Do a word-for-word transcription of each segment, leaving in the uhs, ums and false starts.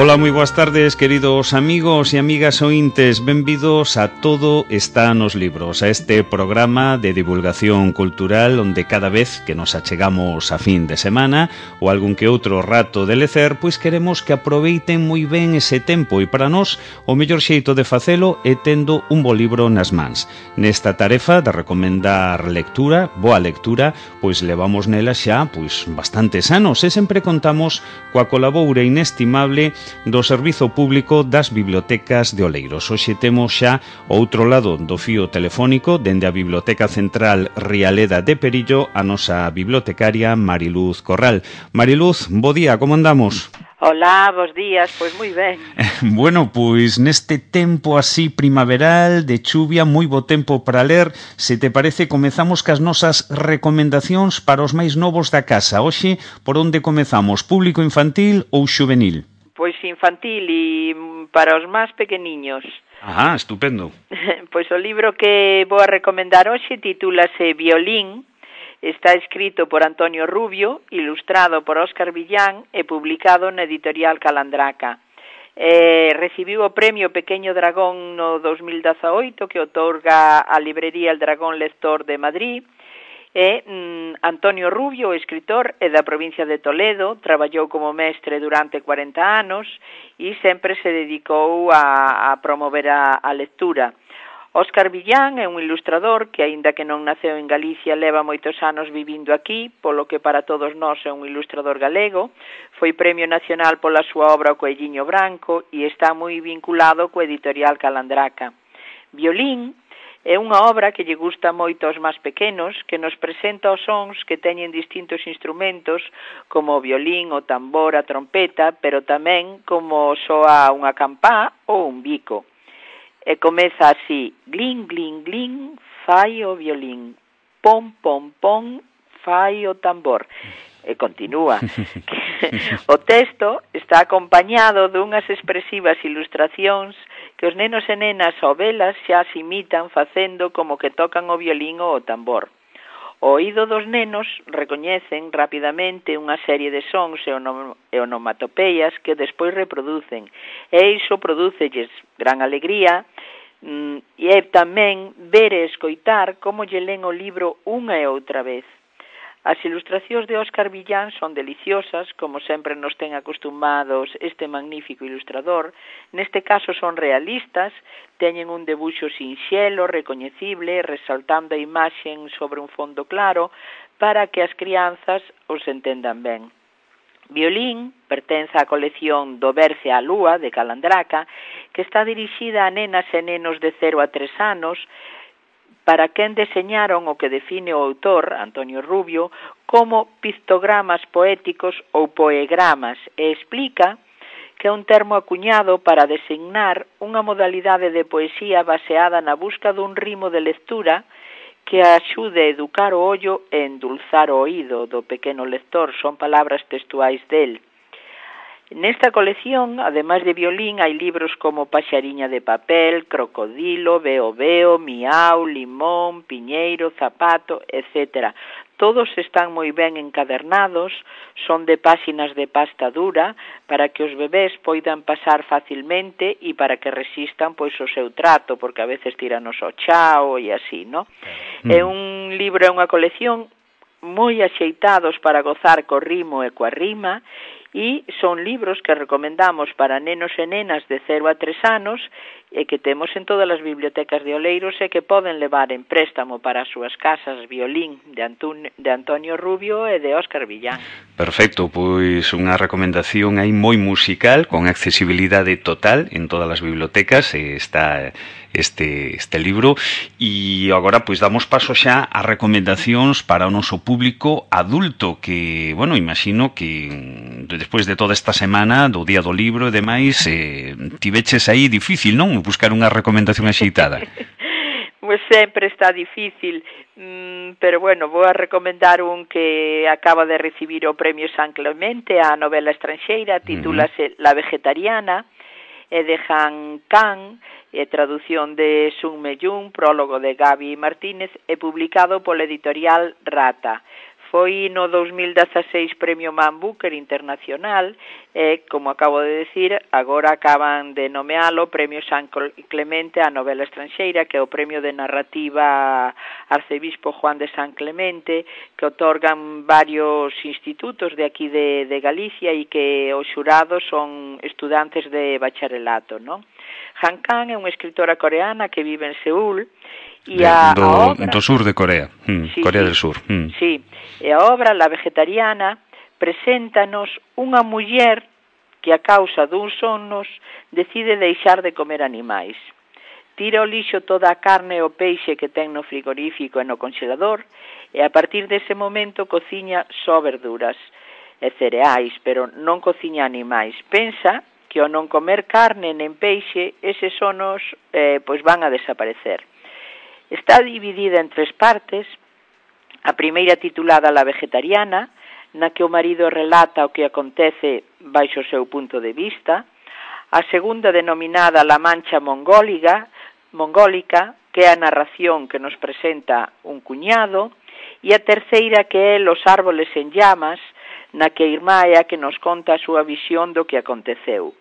Ola, moi boas tardes, queridos amigos e amigas ointes. Benvidos a Todo está nos libros, a este programa de divulgación cultural onde cada vez que nos achegamos a fin de semana ou algún que outro rato de lecer, pois queremos que aproveiten moi ben ese tempo e para nós o mellor xeito de facelo é tendo un bo libro nas mans. Nesta tarefa de recomendar lectura, boa lectura, pois levamos nela xa pois bastantes anos e sempre contamos coa colaboura inestimable do Servizo Público das Bibliotecas de Oleiros. Hoxe temos xa o outro lado do fío telefónico dende a Biblioteca Central Rialeda de Perillo a nosa bibliotecaria Mariluz Corral. Mariluz, bo día, como andamos? Hola, bos días, pois moi ben. Bueno, pois neste tempo así primaveral, de chuvia, moi bo tempo para ler. Se te parece, comezamos cas nosas recomendacións para os máis novos da casa. Hoxe, por onde comezamos? Público infantil ou xuvenil? Pois infantil e para os máis pequeniños. Ah, estupendo. Pois o libro que vou a recomendar hoxe titúlase Violín. Está escrito por Antonio Rubio, ilustrado por Óscar Villán e publicado na editorial Calandraca. Eh, recibiu o premio Pequeño Dragón no dos mil dezaoito que outorga a librería El Dragón Lector de Madrid. E mm, Antonio Rubio, escritor, é da provincia de Toledo, traballou como mestre durante cuarenta anos e sempre se dedicou a, a promover a, a lectura. Óscar Villán é un ilustrador que, aínda que non naceu en Galicia, leva moitos anos vivindo aquí, polo que para todos nós é un ilustrador galego. Foi Premio Nacional pola súa obra O Coelliño Branco e está moi vinculado co editorial Calandraca. Violín é unha obra que lle gusta moito aos máis pequenos, que nos presenta os sons que teñen distintos instrumentos, como o violín, o tambor, a trompeta, pero tamén como soa unha campá ou un bico. E comeza así: glin, glin, glin, fai o violín, pom, pom, pom, fai o tambor. E continúa. O texto está acompañado dunhas expresivas ilustracións que os nenos e nenas ao velas xa se imitan facendo como que tocan o violín ou o tambor. O oído dos nenos recoñecen rapidamente unha serie de sons e onomatopeias que despois reproducen, e iso prodúcelles gran alegría, e é tamén ver e escoitar como lle len o libro unha e outra vez. As ilustracións de Óscar Villán son deliciosas, como sempre nos ten acostumados este magnífico ilustrador. Neste caso son realistas, teñen un debuxo sinxelo, recoñecible, resaltando a imaxen sobre un fondo claro para que as crianzas os entendan ben. Violín pertence á colección Do Berce á Lúa, de Calandraca, que está dirixida a nenas e nenos de cero a tres anos, para quen deseñaron o que define o autor, Antonio Rubio, como pictogramas poéticos ou poegramas, e explica que é un termo acuñado para designar unha modalidade de poesía baseada na busca dun ritmo de lectura que axude a educar o ollo e endulzar o oído do pequeno lector. Son palabras textuais del. Nesta colección, ademais de violín, hai libros como Paxariña de papel, Crocodilo, Veo Veo, Miau, Limón, Piñeiro, Zapato, etcétera. Todos están moi ben encadernados, son de páxinas de pasta dura para que os bebés poidan pasar facilmente e para que resistan pois o seu trato, porque a veces tiranos ao chao e así, no? Mm. É un libro, é unha colección moi axeitados para gozar co ritmo e coa rima, e son libros que recomendamos para nenos e nenas de cero a tres anos e que temos en todas as bibliotecas de Oleiros e que poden levar en préstamo para as súas casas. Violín, de, Antun- de Antonio Rubio e de Óscar Villán. Perfecto, pois unha recomendación aí moi musical, con accesibilidade total en todas as bibliotecas, e está este, este libro. E agora pois damos paso xa a recomendacións para o noso público adulto, que, bueno, imagino que despois de toda esta semana do Día do Libro e demais, eh, tiveches aí difícil, non? Buscar unha recomendación axeitada. Pois sempre está difícil, mm, pero bueno, vou a recomendar un que acaba de recibir o Premio San Clemente a novela estranxeira, titúlase uh-huh. La Vegetariana, é de Han Kang, é traducción de Sun Meyun, prólogo de Gaby Martínez, e publicado pola editorial Rata. foi no dos mil dezaseis Premio Man Booker Internacional e, como acabo de decir, agora acaban de nomealo Premio San Clemente á novela estranxeira, que é o premio de narrativa Arcebispo Juan de San Clemente, que otorgan varios institutos de aquí de, de Galicia e que os xurados son estudantes de bacharelato, non? Han Kang é unha escritora coreana que vive en Seúl e a, do, a obra... do sur de Corea, mm, sí, Corea sí, del Sur. Mm. Sí, e a obra La Vegetariana preséntanos unha muller que a causa duns sonos decide deixar de comer animais. Tira ao lixo toda a carne e o peixe que ten no frigorífico e no congelador e a partir dese momento cociña só verduras e cereais, pero non cociña animais. Pensa que ao non comer carne nen peixe, eses sonos eh, pois van a desaparecer. Está dividida en tres partes. A primeira titulada La Vegetariana, na que o marido relata o que acontece baixo o seu punto de vista. A segunda denominada La Mancha Mongólica, mongólica, que é a narración que nos presenta un cuñado. E a terceira que é Los Árboles en Llamas, na que a irmá é a que nos conta a súa visión do que aconteceu.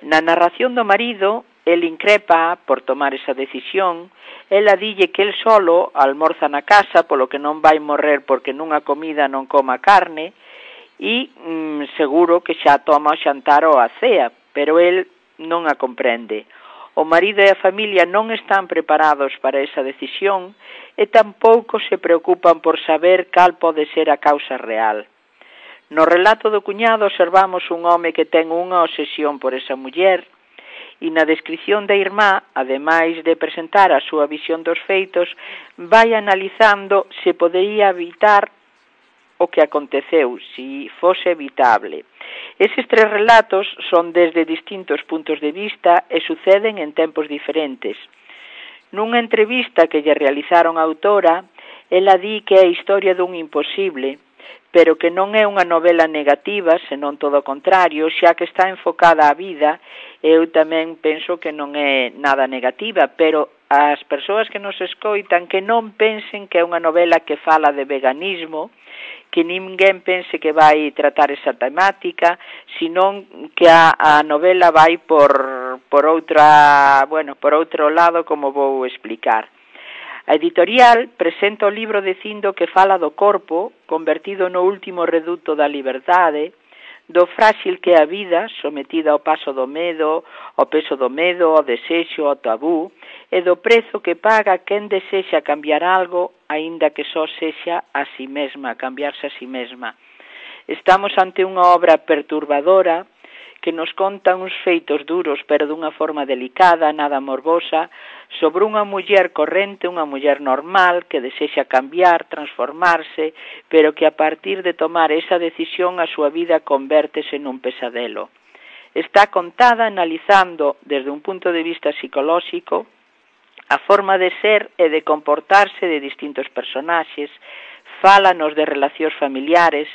Na narración do marido, el increpa por tomar esa decisión, ela dille que el solo almorza na casa, polo que non vai morrer porque nunha comida non coma carne, e mm, seguro que xa toma o xantar ou a cea, pero el non a comprende. O marido e a familia non están preparados para esa decisión e tampouco se preocupan por saber cal pode ser a causa real. No relato do cuñado observamos un home que ten unha obsesión por esa muller e na descripción da irmá, ademais de presentar a súa visión dos feitos, vai analizando se podería evitar o que aconteceu, se fose evitable. Eses tres relatos son desde distintos puntos de vista e suceden en tempos diferentes. Nunha entrevista que lle realizaron a autora, ela di que é a historia dun imposible, pero que non é unha novela negativa, senón todo o contrario, xa que está enfocada á vida. Eu tamén penso que non é nada negativa, pero as persoas que nos escoitan que non pensen que é unha novela que fala de veganismo, que ninguén pense que vai tratar esa temática, senón que a, a novela vai por, por outra, bueno, por outro lado, como vou explicar. A editorial presenta o libro dicindo que fala do corpo, convertido no último reduto da liberdade, do frágil que é a vida, sometida ao paso do medo, ao peso do medo, ao desexo, ao tabú, e do prezo que paga quen desexa cambiar algo, aínda que só sexa a si mesma, cambiarse a si mesma. Estamos ante unha obra perturbadora, que nos conta uns feitos duros, pero dunha forma delicada, nada morbosa, sobre unha muller corrente, unha muller normal, que desexa cambiar, transformarse, pero que a partir de tomar esa decisión a súa vida convértese nun pesadelo. Está contada analizando, desde un punto de vista psicolóxico, a forma de ser e de comportarse de distintos personaxes, fálanos de relacións familiares,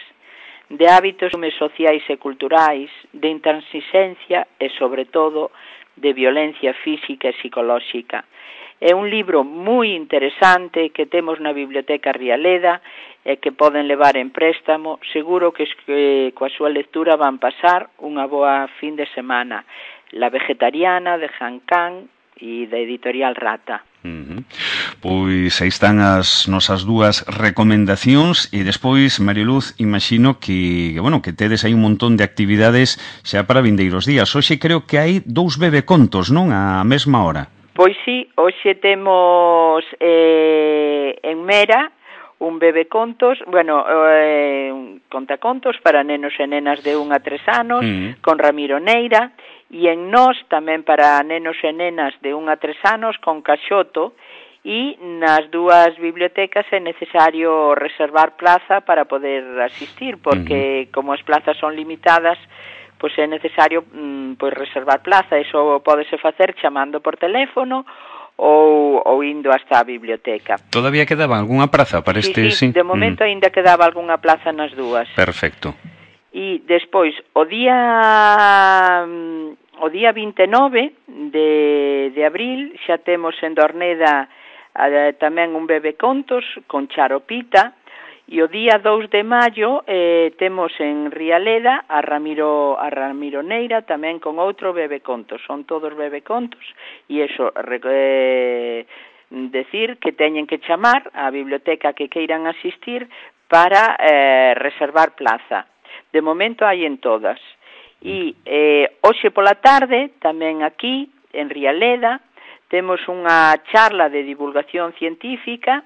de hábitos sociais e culturais, de intransigencia e, sobre todo, de violencia física e psicolóxica. É un libro moi interesante que temos na Biblioteca Rialeda e que poden levar en préstamo. Seguro que, que coa súa lectura van pasar unha boa fin de semana. La Vegetariana, de Han Kang, e da editorial Rata. Uh-huh. Pois aí están as nosas dúas recomendacións e despois, Marioluz, imagino que, que, bueno, que tedes aí un montón de actividades xa para vindeiros días. Hoxe creo que hai dous bebecontos, non? A mesma hora. Pois sí, hoxe temos eh, en Mera un bebecontos, bueno, eh, un contacontos para nenos e nenas de un a tres anos, uh-huh, con Ramiro Neira, e en Nós tamén para nenos e nenas de un a tres anos con Caxoto, e nas dúas bibliotecas é necesario reservar plaza para poder asistir, porque uh-huh, como as plazas son limitadas, pois é necesario mm, pois reservar plaza. Iso pódese facer chamando por teléfono ou, ou indo hasta a biblioteca. Todavía quedaba algunha praza para sí, este? Sí, sí, de momento mm. ainda quedaba algunha plaza nas dúas. Perfecto. E despois, o día o día vinte e nove de, de abril, xa temos en Dorneda eh, tamén un bebecontos con Charopita, E o día dous de maio eh, temos en Rialeda a Ramiro, a Ramiro Neira tamén con outro bebecontos. Son todos bebecontos e iso eh, decir que teñen que chamar á biblioteca que queiran asistir para eh, reservar plaza. De momento hai en todas. E eh, hoxe pola tarde, tamén aquí, en Rialeda, temos unha charla de divulgación científica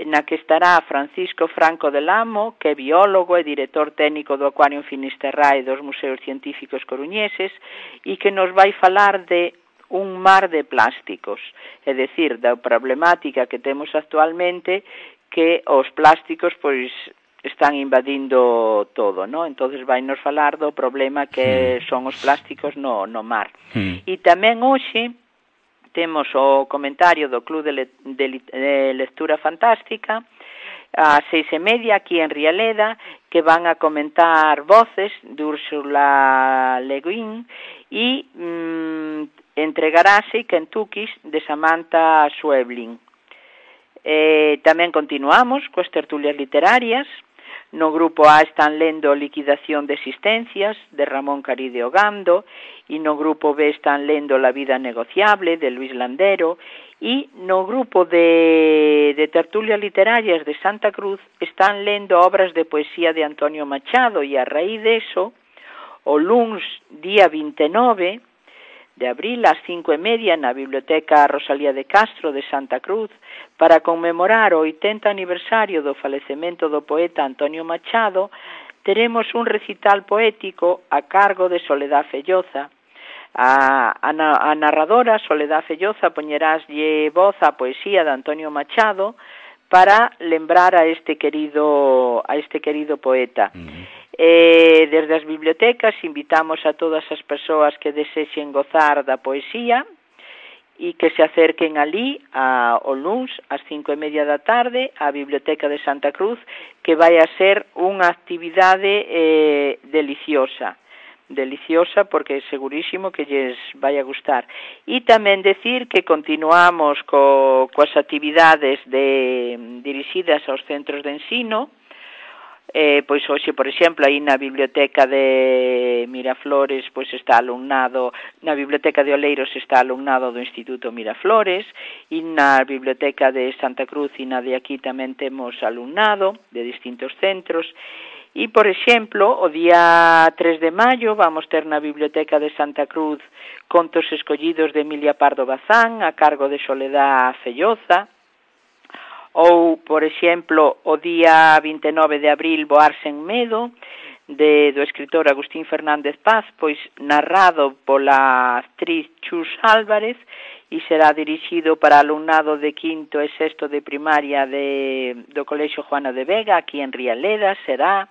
na que estará Francisco Franco del Amo, que é biólogo e director técnico do Acuario Finisterrae e dos Museos Científicos Coruñeses, e que nos vai falar de un mar de plásticos, é dicir, da problemática que temos actualmente, que os plásticos, pois, están invadindo todo, ¿no? Entonces vai nos falar do problema que mm. son os plásticos no, no mar. Mm. E tamén hoxe temos o comentario do Club de, le, de, de Lectura Fantástica a seis e media aquí en Rialeda, que van a comentar Voces de Úrsula Le Guin e mm, entregarase Kentuckys de Samantha Schweblin. Eh, tamén continuamos coas tertulias literarias. No grupo A están lendo Liquidación de Existencias, de Ramón Caride Ogando, e no grupo B están lendo La vida negociable, de Luis Landero, e no grupo de, de tertulias literarias de Santa Cruz están lendo obras de poesía de Antonio Machado, e a raíz de eso, o luns día vinte e nove de abril ás cinco e media na Biblioteca Rosalía de Castro de Santa Cruz, para conmemorar o oitenta aniversario do falecemento do poeta Antonio Machado, teremos un recital poético a cargo de Soledad Felloza. A, a, a narradora Soledad Felloza poñeráslle voz á poesía de Antonio Machado para lembrar a este querido a este querido poeta. Uh-huh. Eh, desde as bibliotecas invitamos a todas as persoas que desexen gozar da poesía e que se acerquen ali a, o luns ás cinco e media da tarde á Biblioteca de Santa Cruz, que vai a ser unha actividade eh, deliciosa deliciosa porque é segurísimo que lles vai a gustar. E tamén decir que continuamos co, coas actividades de, dirixidas aos centros de ensino. Eh, pois hoxe, por exemplo, aí na biblioteca de Miraflores pois está alumnado, na biblioteca de Oleiros está alumnado do Instituto Miraflores, e na biblioteca de Santa Cruz e na de aquí tamén temos alumnado de distintos centros. E, por exemplo, o día tres de maio vamos ter na biblioteca de Santa Cruz contos escollidos de Emilia Pardo Bazán a cargo de Soledad Felloza. Ou, por exemplo, o día vinte e nove de abril, Voar sen medo, de, do escritor Agustín Fernández Paz, pois narrado pola actriz Chus Álvarez, e será dirixido para alumnado de quinto e sexto de primaria de, do Colexio Juana de Vega, aquí en Rialeda, será...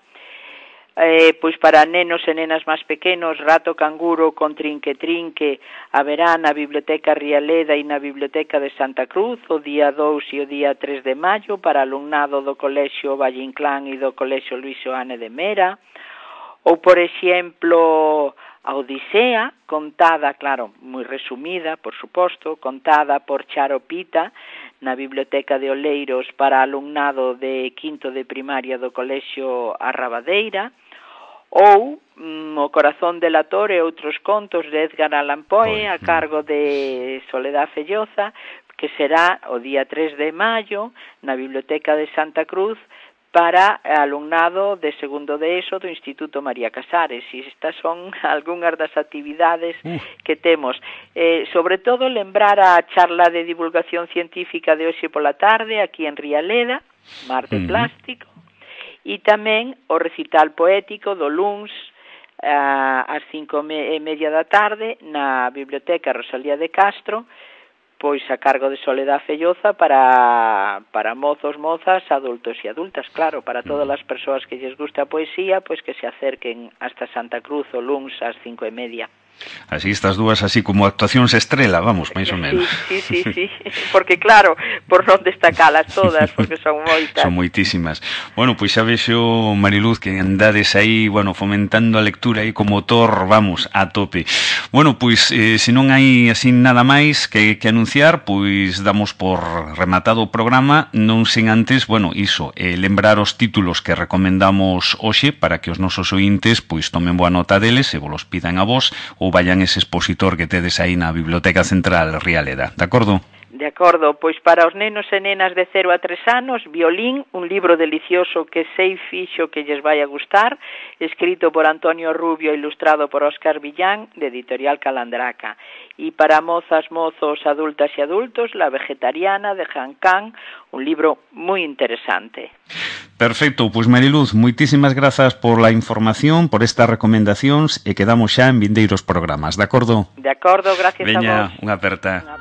Eh, pois para nenos e nenas máis pequenos, Rato Canguro con Trinque Trinque haberá na Biblioteca Rialeda e na Biblioteca de Santa Cruz o día dous e o día tres de maio para alumnado do Colexio Valle Inclán e do Colexio Luis Oane de Mera. Ou, por exemplo, a Odisea, contada, claro, moi resumida, por suposto, contada por Charo Pita na Biblioteca de Oleiros para alumnado de quinto de primaria do Colexio Arrabadeira. Ou mm, O corazón delator e outros contos de Edgar Allan Poe a cargo de Soledad Felloza, que será o día tres de maio na Biblioteca de Santa Cruz para alumnado de segundo de ESO do Instituto María Casares. E estas son algunhas das actividades uh. que temos. Eh, sobre todo, lembrar a charla de divulgación científica de hoxe pola tarde aquí en Rialeda, Mar de uh-huh. Plástico, e tamén o recital poético do luns uh, ás cinco e media da tarde na Biblioteca Rosalía de Castro, pois a cargo de Soledad Felloza para, para mozos, mozas, adultos e adultas, claro, para todas as persoas que lles gusta a poesía, pois que se acerquen hasta Santa Cruz o luns ás cinco e media. Así estas dúas así como actuacións estrela, vamos, máis ou menos. Sí, sí, sí, sí, porque claro, por non destacalas todas, porque son moitas. Son moitísimas. Bueno, pois xa vexo, Mariluz, que andades aí, bueno, fomentando a lectura aí como motor, vamos, a tope. Bueno, pois, eh, se non hai así nada máis que, que anunciar, pois damos por rematado o programa, non sen antes, bueno, iso, eh, lembrar os títulos que recomendamos hoxe para que os nosos ointes pois tomen boa nota deles e vos los pidan a vos ou vayan ese expositor que tedes aí na Biblioteca Central Rialeda, de acordo? De acordo, pois para os nenos e nenas de cero a tres anos, Violín, un libro delicioso que sei fixo que lles vai a gustar, escrito por Antonio Rubio e ilustrado por Óscar Villán, de Editorial Calandraca. E para mozas, mozos, adultas e adultos, La vegetariana, de Han Kang, un libro moi interesante. Perfecto, pois Mariluz, moitísimas grazas por la información, por estas recomendacións e quedamos xa en vindeiros programas, de acordo? De acordo, gracias Veña, a vos. unha aperta. Unha